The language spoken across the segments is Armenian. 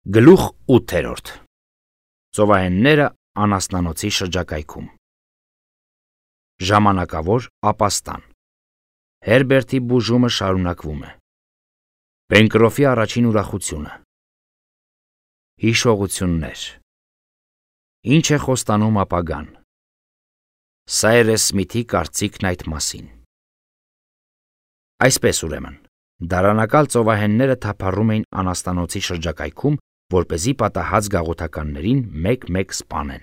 Գլուխ 8. Ծովահենները անասնանոցի շրջակայքում։ Ժամանակավոր ապաստան։ Հերբերտի բուժումը շարունակվում է։ Պենկրոֆի առաջին ուրախությունը։ Հիշողություններ։ Ինչ է խոստանում ապագան։ Սայրես Սմիթի կարծիքն այդ մասին։ Այսպես ուրեմն, դարանակալ ծովահենները թափառում էին անասնանոցի շրջակայքում, որպեսզի պատահած գաղութականներին մեկ-մեկ սպանեն։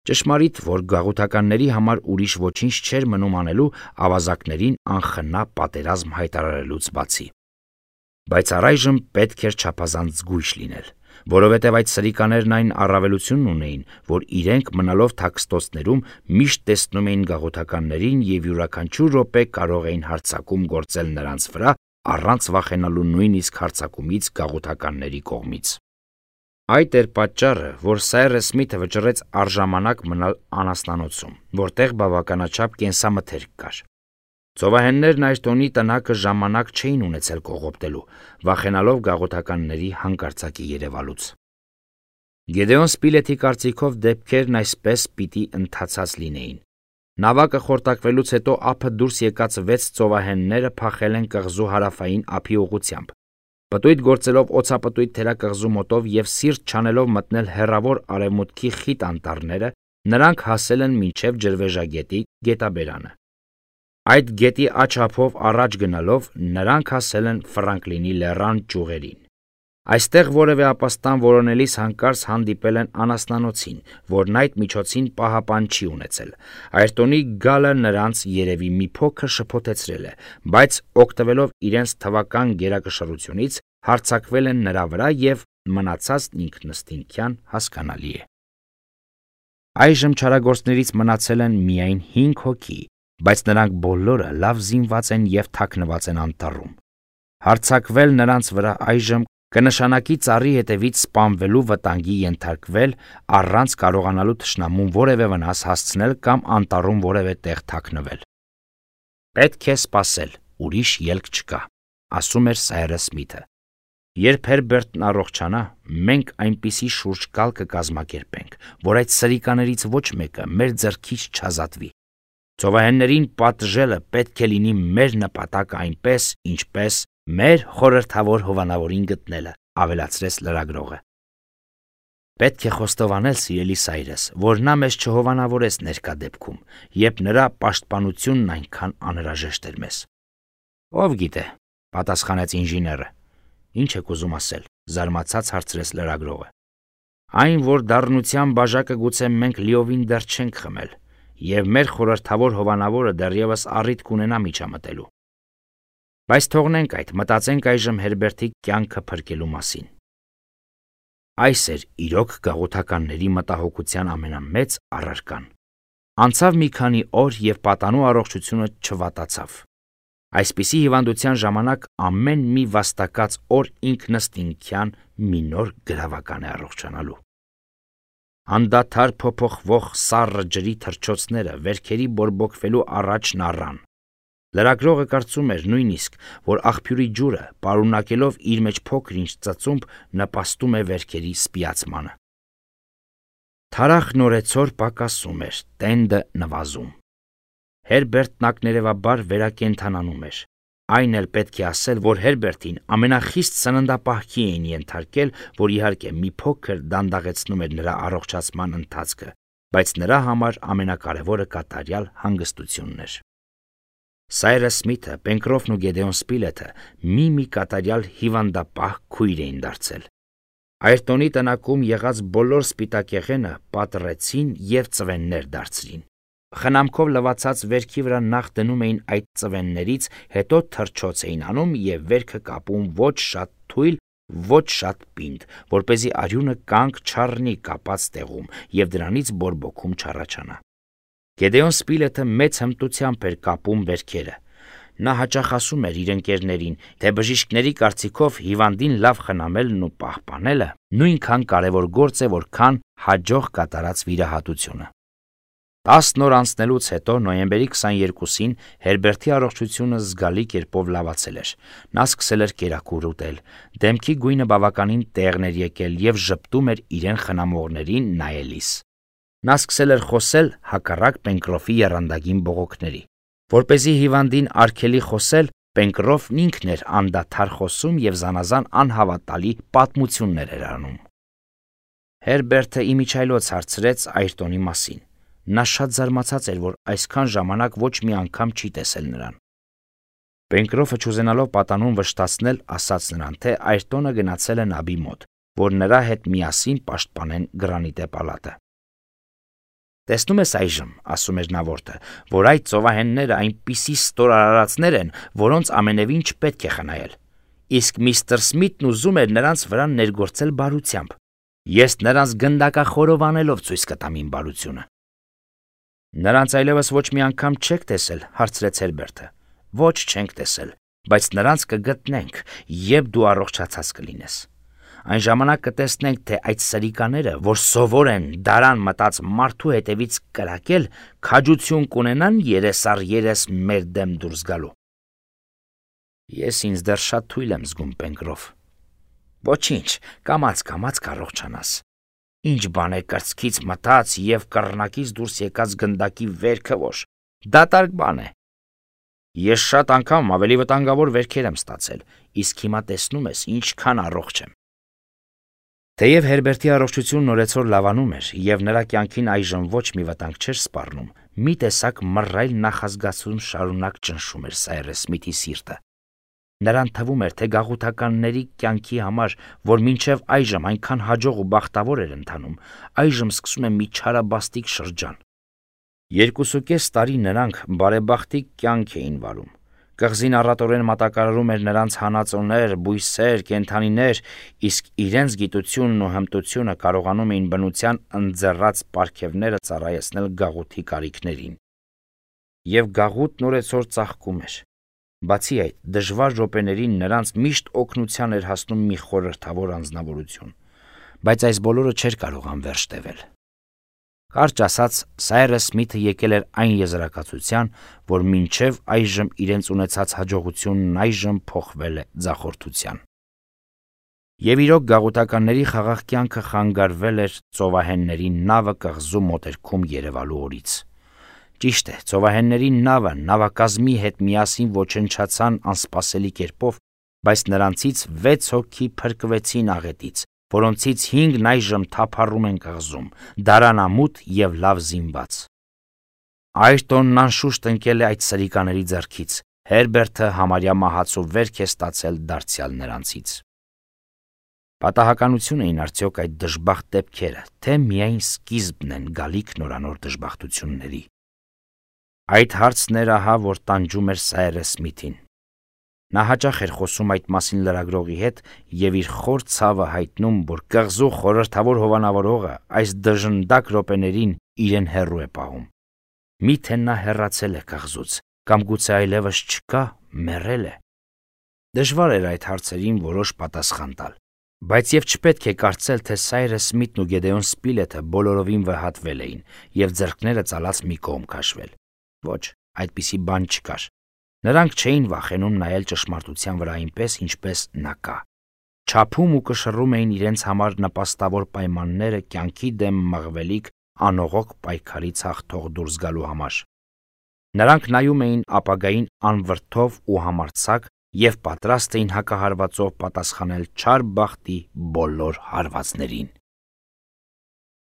Ճշմարիտ, որ գաղութականների համար ուրիշ ոչինչ չէր մնում անելու ավազակներին անխնա պատերազմ հայտարարելուց բացի։ Բայց առայժմ պետք էր չափազանց զգույշ լինել, որովհետև այդ սրիկաներն այն առավելությունն ունեին, որ իրենք մնալով թաքստոցներում միշտ տեսնում էին գաղութականներին և յուրաքանչյուր րոպե կարող էին հարձակում գործել նրանց վրա, առանց վախենալու նույնիսկ հարձակումից գաղութականների կողմից։ Այդ էր պատճառը, որ Սայրես Սմիթը վճռեց առժամանակ մնալ անասնանոցում, որտեղ բավականաչափ կենսամթերք կար։ Ծովահեններն այս տոնի տնակը ժամանակ չէին ունեցել կողոպտելու, վախենալով գաղութականների հանկարծակի երևալուց։ Գեդեոն Սպիլեթի կարծիքով դեպքերն այսպես պիտի ընթացած լինեին։ Նավակը խորտակվելուց հետո ափը դուրս եկած 6 ծովահենները փախել են կղզու հարավային ափի ուղղությամբ։ Պտույտ գործելով օձապտույտ թերակղզու մոտով և սիրտ չանելով մտնել հեռավոր արևմուտքի խիտ անտառները, նրանք հասել են մինչև ջրվեժագետի գետաբերանը։ Այդ գետի աջ ափով առաջ գնալով նրանք հասել են Ֆրանկլինի լեռան ճյուղերին։ Այստեղ որևէ ապաստան որոնելիս հանկարծ հանդիպել են անասնանոցին, որն այդ միջոցին պահապան չի ունեցել։ Այրտոնի գալը նրանց երևի մի փոքր շփոթեցրել է, բայց օգտվելով իրենց թվական գերակշռությունից հարձակվել են նրա վրա և մնացածն ինքնըստինքյան հասկանալի է։ Այժմ չարագործներից մնացել են միայն 5 հոգի, բայց նրանք բոլորը լավ զինված են և թաքնված են անտառում։ Հարձակվել նրանց վրա այժմ կնշանակի ծառի հետևից սպանվելու վտանգի ենթարկվել առանց կարողանալու թշնամուն որևէ վնաս հասցնել կամ անտառում որևէ տեղ թաքնվել։ Պետք է սպասել, ուրիշ ելք չկա, ասում էր Սայրես Սմիթը։ Երբ Հերբերտն առողջանա, մենք այնպիսի շուրջկալ կկազմակերպենք, որ այդ սրիկաներից ոչ մեկը մեր ձեռքից չազատվի։ Ծովահեններին պատժելը պետք է լինի մեր նպատակը այնպես, ինչպես մեր խորհրդավոր հովանավորին գտնելը, ավելացրեց լրագրողը։ Պետք է խոստովանել, սիրելի Սայրես, որ նա մեզ չհովանավորեց ներկա դեպքում, երբ նրա պաշտպանությունն այնքան անհրաժեշտ էր մեզ։ Ով գիտե, պատասխանեց ինժեները։ Ինչ եք ուզում ասել, զարմացած հարցրեց լրագրողը։ Այն, որ դառնության բաժակը գուցե մենք լիովին դեռ չենք խմել, և մեր խորհրդավոր հովանավորը դեռևս առիթ կունենա միջամտելու։ Բայց թողնենք այդ, մտածենք այժմ Հերբերտի կյանքը փրկելու մասին։ Այս էր իրոք գաղութականների մտահոգության ամենամեծ առարկան։ Անցավ մի քանի օր և պատանու առողջությունը չվատացավ։ Այսպիսի հիվանդության ժամանակ ամեն մի վաստակած օր ինքնըստինքյան մի նոր գրավական է առողջանալու։ Անդադար փոփոխվող սառը ջրի թռչոցները վերքերի բորբոքվելու առաջն առան։ Լրագրողը կարծում էր նույնիսկ, որ աղբյուրի ջուրը, պարունակելով իր մեջ փոքր-ինչ ծծումբ, նպաստում է վերքերի սպիացմանը։ Թարախ նորեցօր պակասում էր, տենդը նվազում։ Հերբերտն ակներևաբար վերակենդանանում էր։ Այն էլ պետք է ասել, որ Հերբերտին ամենախիստ սննդապահքի էին ենթարկել, որ իհարկե մի փոքր դանդաղեցնում էր նրա առողջացման ընթացքը, բայց նրա համար ամենակարևորը կատարյալ հանգստությունն էր։ Սայրես Սմիթը, Պենկրոֆն ու Գեդեոն Սպիլեթը մի կատարյալ հիվանդապահ քույր էին դարձել։ Այրտոնի տնակում եղած բոլոր սպիտակեղենը պատռեցին և ծվեններ դարձրին։ Խնամքով լվացած վերքի վրա նախ դնում էին այդ ծվեններից, հետո թռչոց էին անում և վերքը կապում ոչ շատ թույլ, ոչ շատ պինդ, որպեսզի արյունը կանգ չառնի կապած տեղում և դրանից բորբոքում չառաջանա։ Գեդեոն Սպիլեթը մեծ հմտությամբ էր կապում վերքերը։ Նա հաճախ ասում էր իր ընկերներին, թե բժիշկների կարծիքով հիվանդին լավ խնամելն ու պահպանելը նույնքան կարևոր գործ է, որքան հաջող կատարած վիրահատությունը։ 10 օր անցնելուց հետո նոյեմբերի 22-ին Հերբերտի առողջությունը զգալի կերպով լավացել էր։ Նա սկսել էր կերակուր ուտել, դեմքի գույնը բավականին տեղն էր եկել եւ ժպտում էր իրեն խնամողներին նայելիս։ Նա սկսել էր խոսել հակառակ Պենկրոֆի եռանդագին բողոքների։ Որպեսզի հիվանդին արգելի խոսել, Պենկրոֆն ինքն էր անդադար խոսում եւ զանազան անհավատալի պատմություններ էր անում։ Հերբերտը իմիջայլոց հարցրեց Այրտոնի մասին։ Նա շատ զարմացած էր, որ այսքան ժամանակ ոչ մի անգամ չի տեսել նրան։ Պենկրոֆը չուզենալով պատանուն վշտացնել, ասաց նրան, թե Այրտոնը գնացել է նաբի մոտ, որ նրա հետ միասին պաշտպանեն Գրանիտե պալատը։ Տեսնում ես այժմ, ասում էր նա որդը, որ այդ ծովահենները այնպիսի ստորարարածներ են, որոնց ամենևին չպետք է խնայել։ Իսկ միստր Սմիթն ուզում էր նրանց վրա ներգործել բարությամբ։ Ես նրանց գնդակախորովանելով ցույց կտամ իմ բարությունը։ Նրանց այլևս ոչ մի անգամ չեք տեսել, հարցրեց Հերբերտը։ Ոչ, չենք տեսել, բայց նրանց կգտնենք, երբ դու առողջացած կլինես։ Այն ժամանակ կտեսնենք, թե այդ սրիկաները, որ սովոր են դարան մտած մարդու հետևից կրակել, քաջություն կունենան երես մեր դեմ դուրս գալու։ Ես ինձ դեռ շատ թույլ եմ զգում, Պենկրոֆ։ Ոչինչ, կամաց կառողջանաս։ Ինչ բան է կրծքից մտած եւ կռնակից դուրս եկած գնդակի վերքը ոչ, դատարկ բան է։ Ես շատ անգամ ավելի վտանգավոր վերքեր եմ ստացել, իսկ հիմա տեսնում ես ինչքան առողջ եմ։ Թեև Հերբերտի առողջությունն օրեցօր լավանում էր եւ նրա կյանքին այժմ ոչ մի վտանգ չէր սպառնում, մի տեսակ մռայլ նախազգացում շարունակ ճնշում էր Սայրես Սմիթի սիրտը։ Նրան թվում էր, թե գաղութականների կյանքի համար, որ մինչև այժմ այնքան հաջող ու բախտավոր էր ընթանում, այժմ սկսում է մի չարաբաստիկ շրջան։ 2.5 տարի նրանք բարեբախտիկ կյանք էին վարում։ Կղզին առատորեն մատակարարում էր նրանց հանածոներ, բույսեր, կենդանիներ, իսկ իրենց գիտությունն ու հմտությունը կարողանում էին բնության ընձեռած պարգևները ծառայեցնել գաղութի կարիքներին։ Եվ գաղութն օրեցօր ծաղկում էր։ Բացի այդ, դժվար րոպեներին նրանց միշտ օգնության էր հասնում մի խորհրդավոր անձնավորություն, բայց այս բոլորը չէր կարող անվերջ տևել։ Կարճ ասած, Սայրես Սմիթը եկել էր այն եզրակացության, որ մինչև այժմ իրենց ունեցած հաջողությունն այժմ փոխվել է ձախորդության։ Եվ իրոք գաղութականների խաղաղ կյանքը խանգարվել էր ծովահենների նավը կղզու մոտերքում երևալու օրից։ Ճիշտ է, ծովահենների նավը նավակազմի հետ միասին ոչնչացան անսպասելի կերպով, բայց նրանցից 6 հոգի փրկվեցին աղետից, որոնցից 5-ն այժմ թափառում են կղզում, դարանամուտ եւ լավ զինված։ Այրտոնն անշուշտ ընկել է այդ սրիկաների ձեռքից, Հերբերտը համարյա մահացու վերք է ստացել դարձյալ նրանցից։ Պատահականություն էին արդյոք այդ դժբախտ դեպքերը, թե միայն սկիզբն են գալիք նորանոր դժբախտությունների։ Այդ հարցն էր ահա, որ տանջում էր Սայրես Սմիթին։ Նա հաճախ էր խոսում այդ մասին լրագրողի հետ եւ իր խոր ցավը հայտնում, որ կղզու խորհրդավոր հովանավորողը այս դժնդակ րոպեներին իրեն հեռու է պահում։ Միթե նա հեռացել է կղզուց, կամ գուցե այլևս չկա, մեռել է։ Դժվար էր այդ հարցերին որոշ պատասխան տալ, բայց եւ չպետք է կարծել, թե Սայրես Սմիթն ու Գեդեոն Սպիլեթը բոլորովին վհատվել էին եւ ձեռքները ծալած մի կողմ քաշվել։ Ոչ, այդպիսի բան չկար։ Նրանք չէին վախենում նայել ճշմարտության վրա այնպես, ինչպես նա կա։ Չափում ու կշռում էին իրենց համար նպաստավոր պայմանները կյանքի դեմ մղվելիք անողոք պայքարից հաղթող դուրս գալու համար։ Նրանք նայում էին ապագային անվրդով ու համարձակ եւ պատրաստ էին հակահարվածով պատասխանել չար բախտի բոլոր հարվածներին։